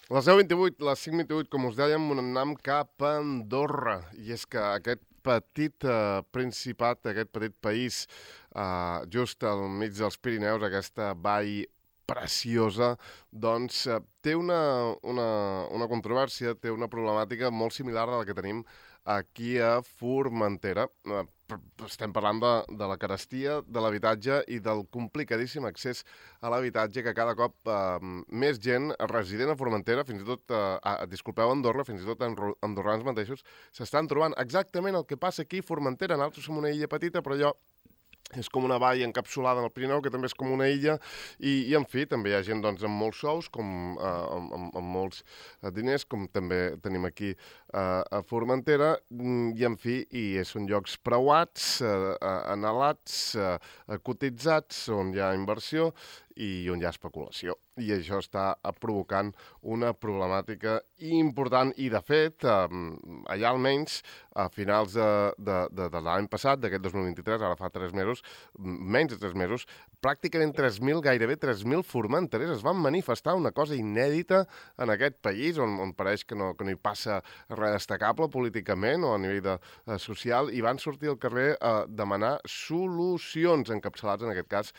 Les 10:28, les 5:28, com us dèiem, anem cap a Andorra. I és que aquest petit principat, aquest petit país, just al mig dels Pirineus, aquesta vall preciosa, doncs té una controvèrsia, té una problemàtica molt similar a la que tenim aquí a Formentera. Estem parlant de la carestia, de l'habitatge i del complicadíssim accés a l'habitatge que cada cop més gent resident a Formentera, fins i tot, disculpeu, a Andorra, fins i tot andorrans mateixos, s'estan trobant exactament el que passa aquí a Formentera. Nosaltres som una illa petita, però allò és com una vall encapsulada en el Pirineu, que també és com una illa, i en fi, també hi ha gent doncs, amb molts sous, amb molts diners, com també tenim aquí a Formentera, i en fi, són llocs preuats, anhelats, cotitzats, on hi ha inversió i on hi ha especulació. I això està provocant una problemàtica important i, de fet, allà almenys, a finals de l'any passat, d'aquest 2023, ara fa 3 mesos, menys de 3 mesos, pràcticament 3.000, gairebé 3.000 formenterers es van manifestar, una cosa inèdita en aquest país, on pareix que no hi passa res destacable políticament o a nivell social, i van sortir al carrer a demanar solucions, encapçalats en aquest cas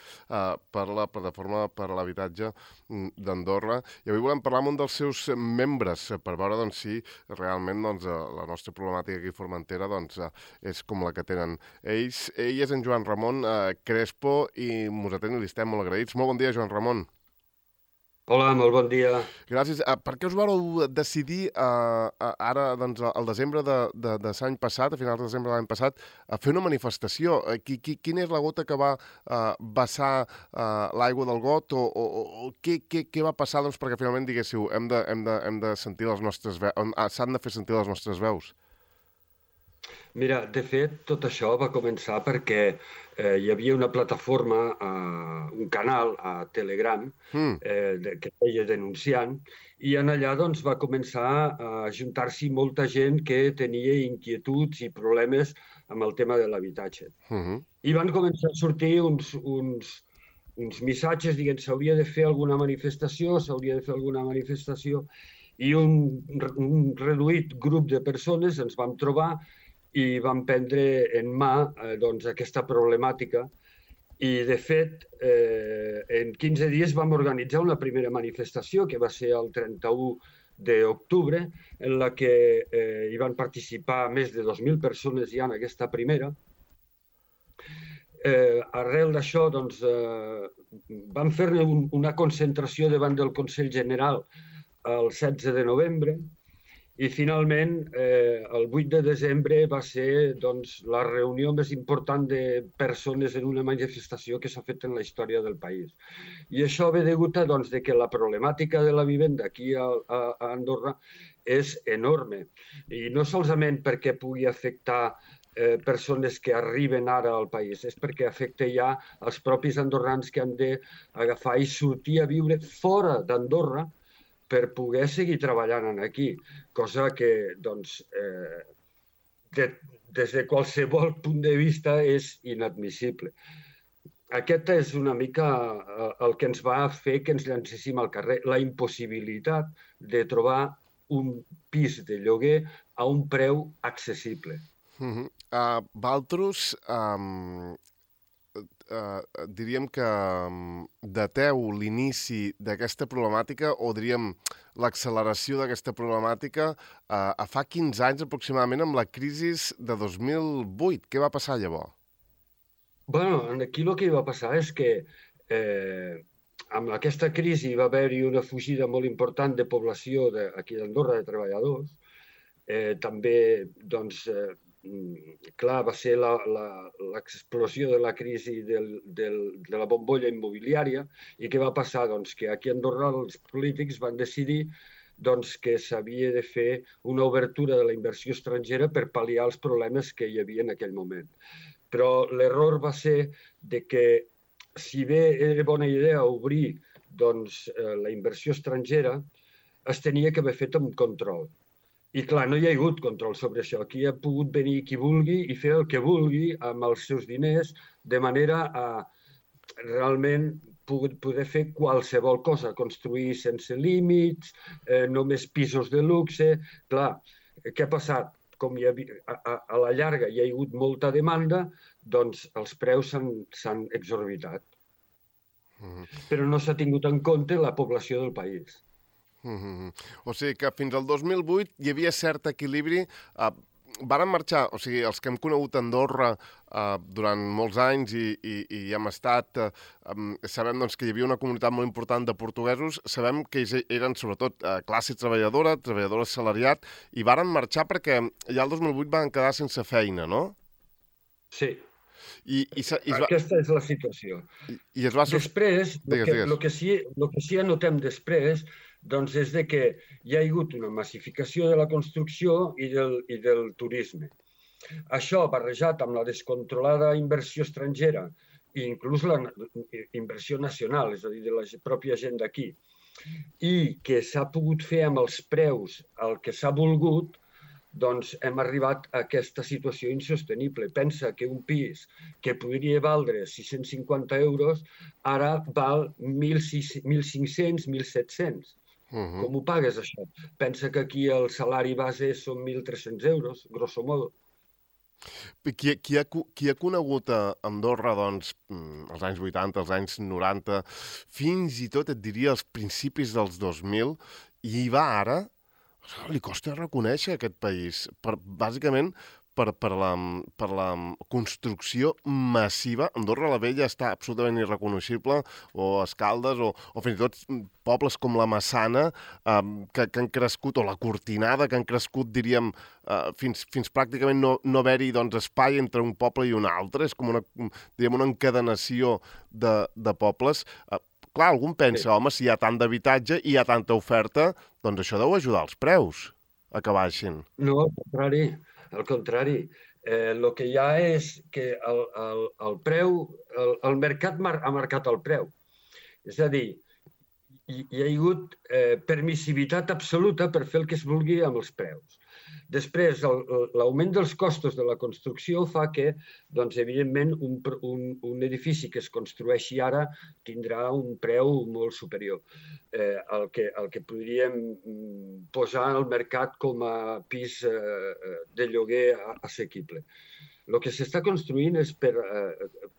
per la Plataforma per a l'Habitatge d'Andorra. I avui volem parlar amb un dels seus membres per veure doncs, si realment la nostra problemàtica aquí a Formentera és com la que tenen ells. Ell és en Joan Ramon Crespo i mos atén i li estem molt agraïts. Molt bon dia, Joan Ramon. Hola, molt bon dia. Gràcies. Per què us vareu decidir ara, doncs, al desembre de l'any passat, a finals de desembre de l'any passat, a fer una manifestació? Quina és la gota que va vessar l'aigua del got o què va passar doncs, perquè finalment diguéssiu hem de sentir les nostres veus, s'han de fer sentir les nostres veus? Mira, de fet, tot això va començar perquè hi havia una plataforma, un canal a Telegram que feia denunciant, i en allà doncs, va començar a juntar-s'hi molta gent que tenia inquietuds i problemes amb el tema de l'habitatge. I van començar a sortir uns missatges dient s'hauria de fer alguna manifestació, i un reduït grup de persones ens vam trobar i vam prendre en mà doncs, aquesta problemàtica. I, de fet, en 15 dies vam organitzar una primera manifestació, que va ser el 31 d'octubre, en la que hi van participar més de 2.000 persones ja en aquesta primera. Arrel d'això, doncs, vam fer una concentració davant del Consell General el 16 de novembre, i finalment, el 8 de desembre va ser doncs, la reunió més important de persones en una manifestació que s'ha fet en la història del país. I això ve degut a doncs, que la problemàtica de la vivenda aquí a Andorra és enorme. I no solament perquè pugui afectar persones que arriben ara al país, és perquè afecta ja els propis andorrans que han d'agafar i sortir a viure fora d'Andorra per poder seguir treballant aquí, cosa que, doncs, des de qualsevol punt de vista és inadmissible. Aquest és una mica el que ens va fer que ens llancéssim al carrer, la impossibilitat de trobar un pis de lloguer a un preu accessible. Valtros, diríem que dateu l'inici d'aquesta problemàtica o diríem l'acceleració d'aquesta problemàtica a fa 15 anys aproximadament amb la crisi de 2008. Què va passar llavors? Bueno, aquí el que va passar és que amb aquesta crisi va haver-hi una fugida molt important de població aquí d'Andorra, de treballadors. També, doncs, clar, va ser l'explosió de la crisi de la bombolla immobiliària. I què va passar? Doncs que aquí a Andorra els polítics van decidir doncs, que s'havia de fer una obertura de la inversió estrangera per pal·liar els problemes que hi havia en aquell moment. Però l'error va ser de que, si bé era bona idea obrir doncs, la inversió estrangera, es tenia que haver fet amb control. I clar, no hi ha hagut control sobre això. Aquí ha pogut venir qui vulgui i fer el que vulgui amb els seus diners, de manera a realment poder fer qualsevol cosa, construir sense límits, només pisos de luxe. Clar, què ha passat? Com a la llarga hi ha hagut molta demanda, doncs els preus s'han exorbitat. Però no s'ha tingut en compte la població del país. O sigui que fins al 2008 hi havia cert equilibri. Varen marxar, o sigui, els que hem conegut Andorra durant molts anys i hi hem estat, sabem doncs, que hi havia una comunitat molt important de portuguesos, sabem que ells eren sobretot classe treballadora, treballador assalariat, i varen marxar perquè ja el 2008 van quedar sense feina, no? Sí. Aquesta és la situació. I es va... Després, el que sí anotem després, doncs és de que hi ha hagut una massificació de la construcció i del turisme. Això, barrejat amb la descontrolada inversió estrangera i inclús la inversió nacional, és a dir, de la pròpia gent d'aquí, i que s'ha pogut fer amb els preus el que s'ha volgut, doncs hem arribat a aquesta situació insostenible. Pensa que un pis que podria valdre 650 euros ara val 1.500, 1.700. Com ho pagues, això? Pensa que aquí el salari base són 1.300 euros, grosso modo. Qui ha conegut a Andorra, doncs, als anys 80, als anys 90, fins i tot, et diria, als principis dels 2000, i hi va ara, li costa reconèixer aquest país, bàsicament per la construcció massiva. Andorra la Vella està absolutament irreconeixible, o Escaldes, o fins i tot pobles com la Massana, que han crescut, o la Cortinada, que han crescut, diríem, fins pràcticament no haver-hi espai entre un poble i un altre. És com una encadenació de pobles. Clar, algú pensa, home, si hi ha tant d'habitatge i hi ha tanta oferta, doncs això deu ajudar els preus a que baixin. No, al contrari. Al contrari, el que hi ha és que el preu, el mercat ha marcat el preu. És a dir, hi ha hagut permissivitat absoluta per fer el que es vulgui amb els preus. Després, l'augment dels costos de la construcció fa que, doncs, evidentment, un edifici que es construeixi ara tindrà un preu molt superior al que podríem posar al mercat com a pis de lloguer assequible. El que s'està construint és per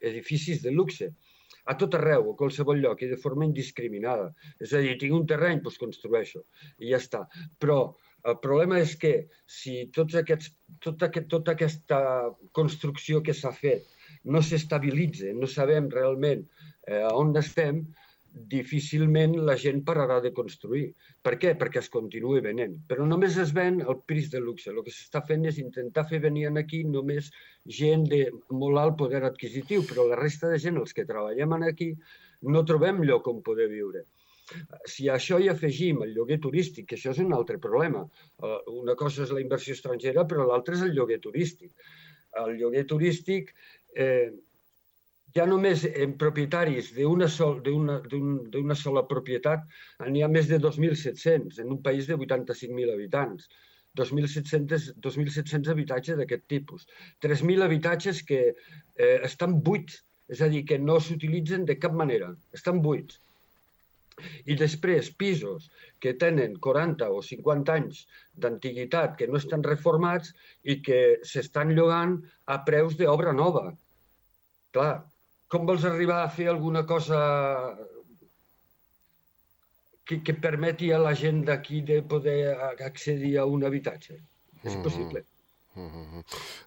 edificis de luxe, a tot arreu, a qualsevol lloc, i de forma indiscriminada. És a dir, tinc un terreny, doncs construeixo, i ja està. Però el problema és que si tota aquesta construcció que s'ha fet no s'estabilitza, no sabem realment on estem, difícilment la gent pararà de construir. Per què? Perquè es continua venent. Però només es ven el pis de luxe. El que s'està fent és intentar fer venir aquí només gent de molt alt poder adquisitiu, però la resta de gent, els que treballem aquí, no trobem lloc on poder viure. Si a això hi afegim el lloguer turístic, que això és un altre problema. Una cosa és la inversió estrangera, però l'altra és el lloguer turístic. El lloguer turístic, ja només en propietaris d'una sola propietat, n'hi ha més de 2.700 en un país de 85.000 habitants. 2.700 habitatges d'aquest tipus. 3.000 habitatges que estan buits, és a dir, que no s'utilitzen de cap manera, estan buits. I després pisos que tenen 40 o 50 anys d'antiguitat, que no estan reformats i que s'estan llogant a preus d'obra nova. Clar, com vols arribar a fer alguna cosa que permeti a la gent d'aquí de poder accedir a un habitatge? És impossible.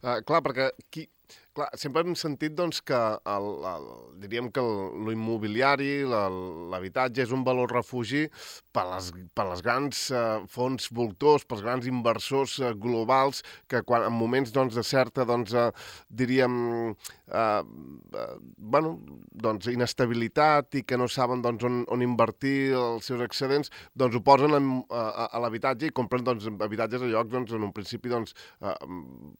Clar, perquè sempre hem sentit que diríem que l'immobiliari, l'habitatge és un valor refugi per les grans fons voltors, pels grans inversors globals que en moments de certa, diríem, inestabilitat i que no saben on invertir els seus excedents, ho posen a l'habitatge i compren habitatges a llocs en un principi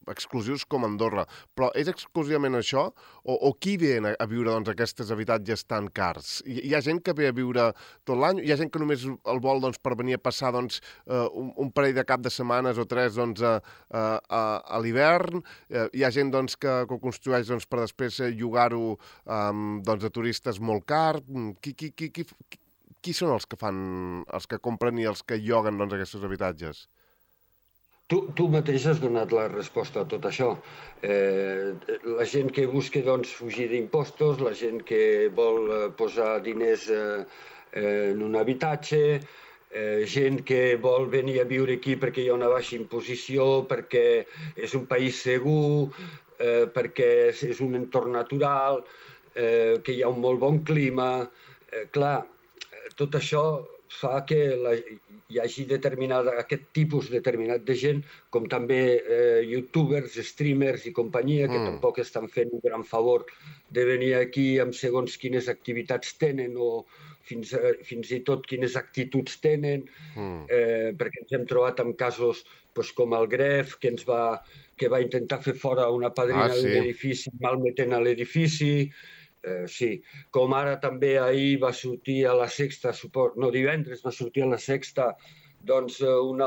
exclusius com Andorra. Però és exclusivament això? O qui ve a viure doncs, aquests habitatges tan cars? Hi ha gent que ve a viure tot l'any? Hi ha gent que només el vol doncs, per venir a passar doncs, un parell de cap de setmanes o 3 doncs, a l'hivern? Hi ha gent doncs, que ho construeix doncs, per després llogar-ho doncs, a turistes molt car? Qui són els que compren i els que lloguen doncs, aquests habitatges? Tu mateix has donat la resposta a tot això. La gent que busca doncs, fugir d'impostos, la gent que vol posar diners en un habitatge, gent que vol venir a viure aquí perquè hi ha una baixa imposició, perquè és un país segur, perquè és un entorn natural, que hi ha un molt bon clima. Clar, tot això fa que hi hagi aquest tipus determinat de gent, com també youtubers, streamers i companyia, que tampoc estan fent un gran favor de venir aquí amb segons quines activitats tenen o fins i tot quines actituds tenen, perquè ens hem trobat amb casos com el Gref, que va intentar fer fora una padrina d'un edifici malmetent a l'edifici. Sí, com ara també ahir va sortir a La Sexta, divendres va sortir a La Sexta, doncs un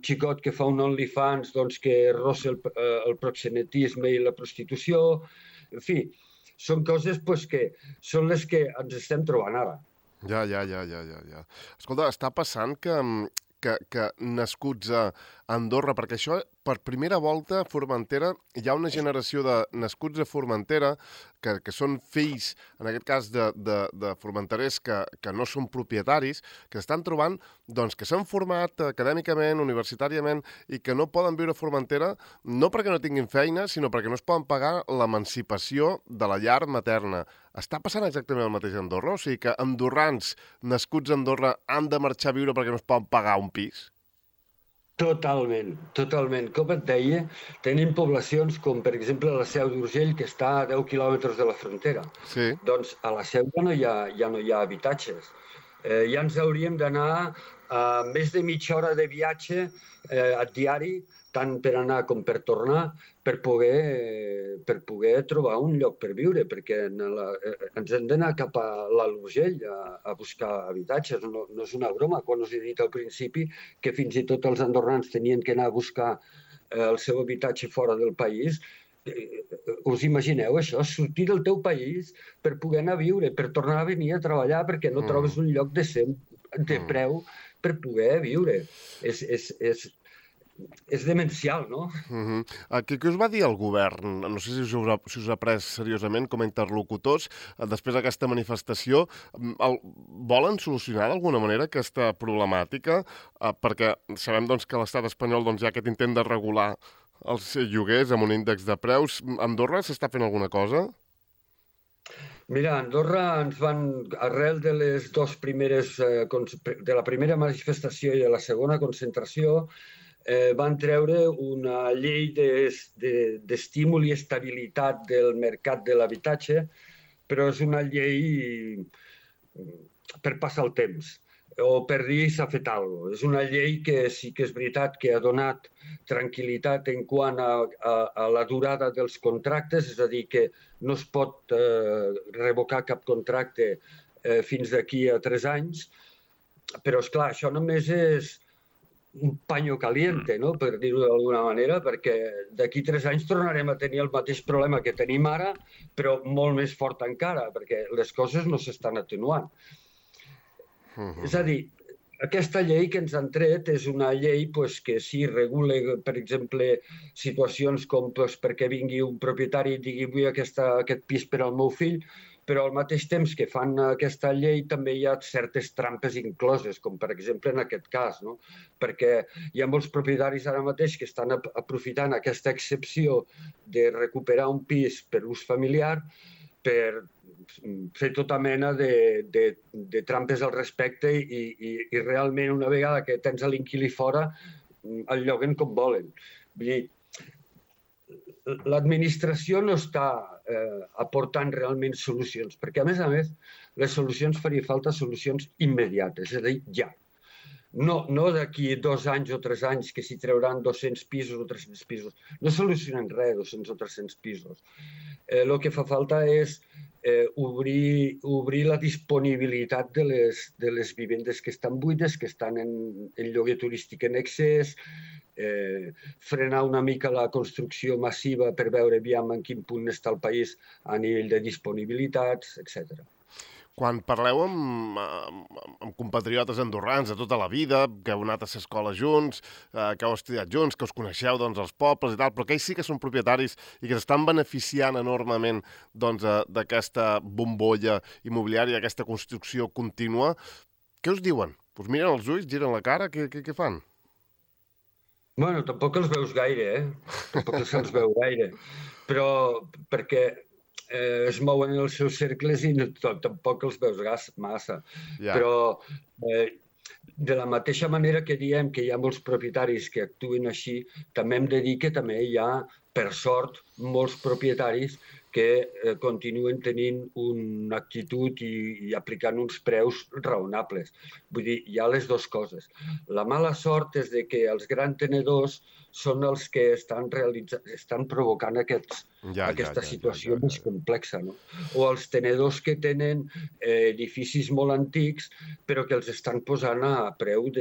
xicot que fa un OnlyFans que rossa el proxenetisme i la prostitució. En fi, són coses que són les que ens estem trobant ara. Ja. Escolta, està passant que nascuts a Andorra, perquè això, per primera volta, a Formentera, hi ha una generació de nascuts a Formentera que són fills, en aquest cas, de formenterers que no són propietaris, que estan trobant doncs, que s'han format acadèmicament, universitàriament, i que no poden viure a Formentera, no perquè no tinguin feina, sinó perquè no es poden pagar l'emancipació de la llar materna. Està passant exactament el mateix a Andorra? O sigui que andorrans nascuts a Andorra han de marxar a viure perquè no es poden pagar un pis? Totalment. Com et deia, tenim poblacions com, per exemple, la Seu d'Urgell, que està a 10 quilòmetres de la frontera. Sí. Doncs a la Seu ja no hi ha habitatges. Ja ens hauríem d'anar a més de mitja hora de viatge a diari, tant per anar com per tornar, per poder trobar un lloc per viure, perquè ens hem d'anar cap a l'Alt Urgell a buscar habitatges. No és una broma, quan us he dit al principi que fins i tot els andorrans tenien que anar a buscar el seu habitatge fora del país. Us imagineu això? Sortir del teu país per poder anar a viure, per tornar a venir a treballar perquè no trobes un lloc decent de preu per poder viure. És demencial, no? Què us va dir el govern? No sé si us ha pres seriosament com a interlocutors després d'aquesta manifestació. Volen solucionar d'alguna manera aquesta problemàtica? Perquè sabem doncs, que a l'estat espanyol hi ha aquest intent de regular els lloguers amb un índex de preus. A Andorra s'està fent alguna cosa? Mira, a Andorra ens van, arrel de les de la primera manifestació i de la segona concentració, van treure una llei d'estímul i estabilitat del mercat de l'habitatge, però és una llei per passar el temps o per dir s'ha fet alguna cosa. És una llei que sí que és veritat que ha donat tranquil·litat en quant a la durada dels contractes, és a dir, que no es pot revocar cap contracte fins d'aquí a 3 anys, però, esclar, això només és un paño caliente, no? Per dir-ho d'alguna manera, perquè d'aquí 3 anys tornarem a tenir el mateix problema que tenim ara, però molt més fort encara, perquè les coses no s'estan atenuant. És a dir, aquesta llei que ens han tret és una llei que sí regula, per exemple, situacions com perquè vingui un propietari i digui vull aquest pis per al meu fill, però al mateix temps que fan aquesta llei també hi ha certes trampes incloses, com per exemple en aquest cas, no? Perquè hi ha molts propietaris ara mateix que estan aprofitant aquesta excepció de recuperar un pis per ús familiar per fer tota mena de trampes al respecte i realment una vegada que tens l'inquilí fora el lloguen com volen. Vull dir, l'administració no està aportant realment solucions, perquè a més, les solucions faria falta solucions immediates, és a dir, ja. No d'aquí 2 anys o 3 anys que s'hi trauran 200 pisos o 300 pisos. No solucionen res, 200 o 300 pisos. El que fa falta és obrir la disponibilitat de les vivendes que estan buides, que estan en lloguer turístic en excés, frenar una mica la construcció massiva per veure aviam en quin punt està el país a nivell de disponibilitats, etc. Quan parleu amb compatriotes andorrans de tota la vida, que heu anat a l'escola junts, que heu estudiat junts, que us coneixeu doncs, els pobles i tal, però que ells sí que són propietaris i que s'estan beneficiant enormement doncs, d'aquesta bombolla immobiliària, d'aquesta construcció contínua, què us diuen? Us miren els ulls, giren la cara, què fan? Bueno, tampoc els veus gaire, Tampoc se'ls veu gaire. Però perquè es mouen en els seus cercles i tampoc els veus massa. Ja. Però de la mateixa manera que diem que hi ha molts propietaris que actuen així, també hem de dir que també hi ha, per sort, molts propietaris que continuen tenint una actitud i aplicant uns preus raonables. Vull dir, hi ha les dues coses. La mala sort és de que els grans tenedors són els que estan provocant aquesta situació més complexa. No? O els tenedors que tenen edificis molt antics però que els estan posant a preu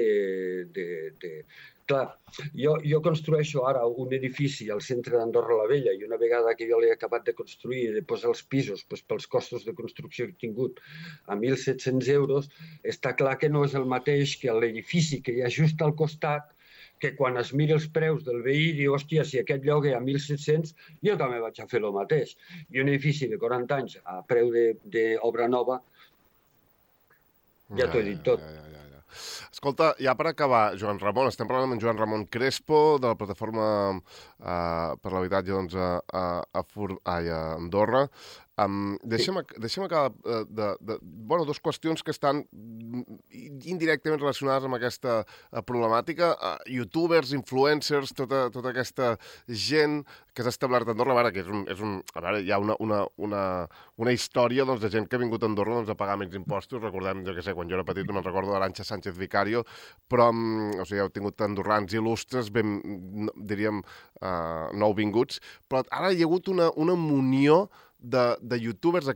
Clar, jo construeixo ara un edifici al centre d'Andorra la Vella i una vegada que jo l'he acabat de construir i de posar els pisos pels costos de construcció que he tingut a 1.700 euros, està clar que no és el mateix que l'edifici que hi ha just al costat, que quan es mira els preus del veí diu, hòstia, si aquest lloguer a 1.700, jo també vaig a fer el mateix. I un edifici de 40 anys a preu d'obra nova, ja t'ho he dit tot. Escolta, ja per acabar, Joan Ramon, estem parlant amb en Joan Ramon Crespo, de la Plataforma per l'Habitatge doncs, a Andorra. Deixa'm acabar dues qüestions que estan indirectament relacionades amb aquesta problemàtica. Youtubers, influencers, tota aquesta gent que s'ha establert a Andorra, que hi ha una història doncs, de gent que ha vingut a Andorra doncs, a pagar menys impostos. Recordem, jo què sé, quan jo era petit me'n recordo d'Arantxa Sánchez Vicario, però heu tingut andorrans il·lustres, diríem, nouvinguts, però ara hi ha hagut una munió de youtubers,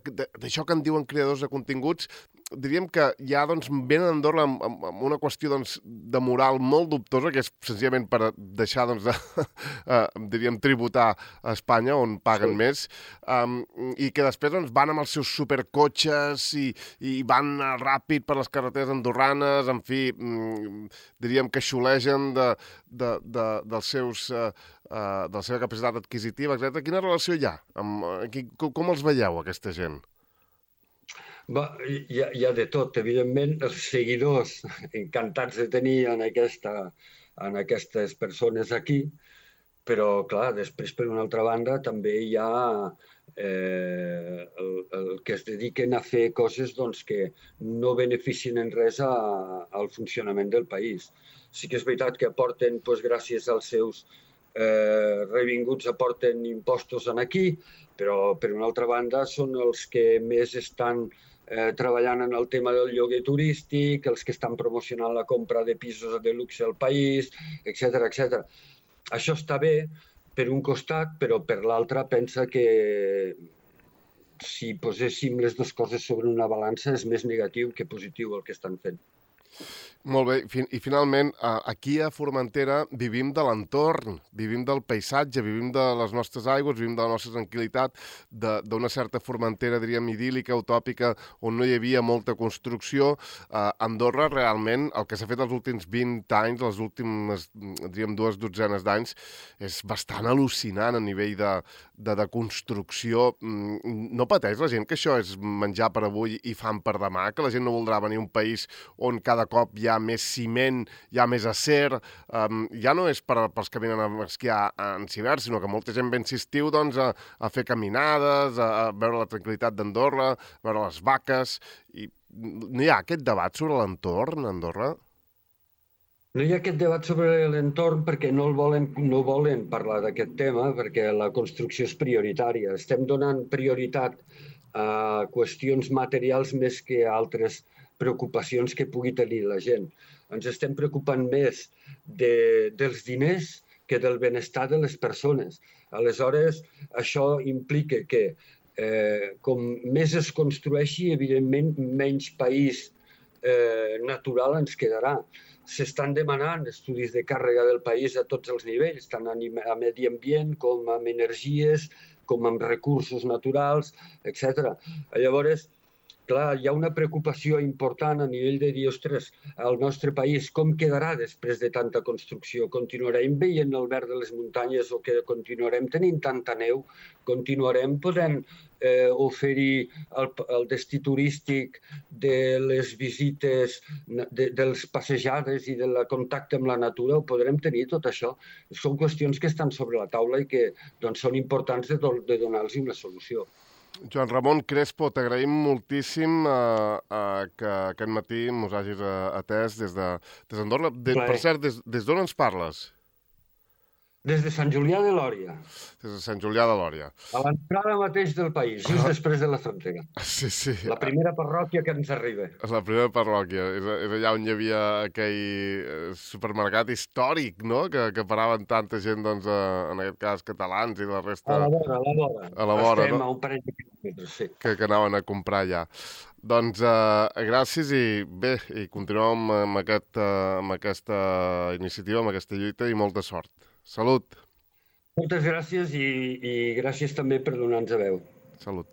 d'això que en diuen creadors de continguts, diríem que ja doncs, venen a Andorra amb una qüestió doncs, de moral molt dubtosa, que és senzillament per deixar doncs, diríem, tributar a Espanya, on paguen més, i que després doncs, van amb els seus supercotxes i van ràpid per les carreteres andorranes, en fi, diríem que xulegen de la seva capacitat adquisitiva, etc. Quina relació hi ha? Com els veieu, aquesta gent? Hi ha de tot. Evidentment, els seguidors encantats de tenir en aquestes persones aquí, però, clar, després, per una altra banda, també hi ha el que es dediquen a fer coses doncs, que no beneficien en res al funcionament del país. Sí que és veritat que aporten, doncs, gràcies als seus revinguts, aporten impostos aquí, però, per una altra banda, són els que més estan treballant en el tema del lloguer turístic, els que estan promocionant la compra de pisos de luxe al país, etc. Això està bé per un costat, però per l'altre pensa que si poséssim les dues coses sobre una balança és més negatiu que positiu el que estan fent. Molt bé, i finalment, aquí a Formentera vivim de l'entorn, vivim del paisatge, vivim de les nostres aigües, vivim de la nostra tranquil·litat, d'una certa Formentera, diríem, idíl·lica, utòpica, on no hi havia molta construcció. Andorra, realment, el que s'ha fet els últims 20 anys, les últimes, diríem, 2 dotzenes d'anys, és bastant al·lucinant a nivell de construcció. No pateix la gent que això és menjar per avui i fam per demà, que la gent no voldrà venir a un país on cada cop hi ha més ciment, hi ha més acer, ja no és pels que venen a esquiar en hivern, sinó que molta gent ve en estiu doncs, a fer caminades, a veure la tranquil·litat d'Andorra, a veure les vaques, i no hi ha aquest debat sobre l'entorn a Andorra? No hi ha aquest debat sobre l'entorn perquè no volen parlar d'aquest tema, perquè la construcció és prioritària. Estem donant prioritat a qüestions materials més que a altres preocupacions que pugui tenir la gent. Ens estem preocupant més dels diners que del benestar de les persones. Aleshores, això implica que com més es construeixi, evidentment, menys país natural ens quedarà. S'estan demanant estudis de càrrega del país a tots els nivells, tant a medi ambient com amb energies, com amb recursos naturals, etc. Llavors, clar, hi ha una preocupació important a nivell de dir, ostres, el nostre país com quedarà després de tanta construcció? Continuarem veient el verd de les muntanyes o que continuarem tenint tanta neu? Continuarem podent oferir el destí turístic de les visites, de les passejades i del contacte amb la natura? Ho podrem tenir, tot això? Són qüestions que estan sobre la taula i que doncs, són importants de donar-los una solució. Joan Ramon Crespo, t'agraïm moltíssim que aquest matí mos hagis atès des d'Andorra. Per cert, des d'on ens parles? Des de Sant Julià de Lòria. Des de Sant Julià de Lòria. A l'entrada mateix del país, just després de la frontera. Sí, sí. La primera parròquia que ens arriba. La primera parròquia. És allà on hi havia aquell supermercat històric, no?, que paraven tanta gent, doncs, en aquest cas, catalans i la resta... A la vora. A la vora, estem no? A un parell de quilòmetres, sí. Que anaven a comprar allà. Doncs gràcies i bé, i continuem amb aquesta iniciativa, amb aquesta lluita i molta sort. Salut! Moltes gràcies i gràcies també per donar-nos a veu. Salut!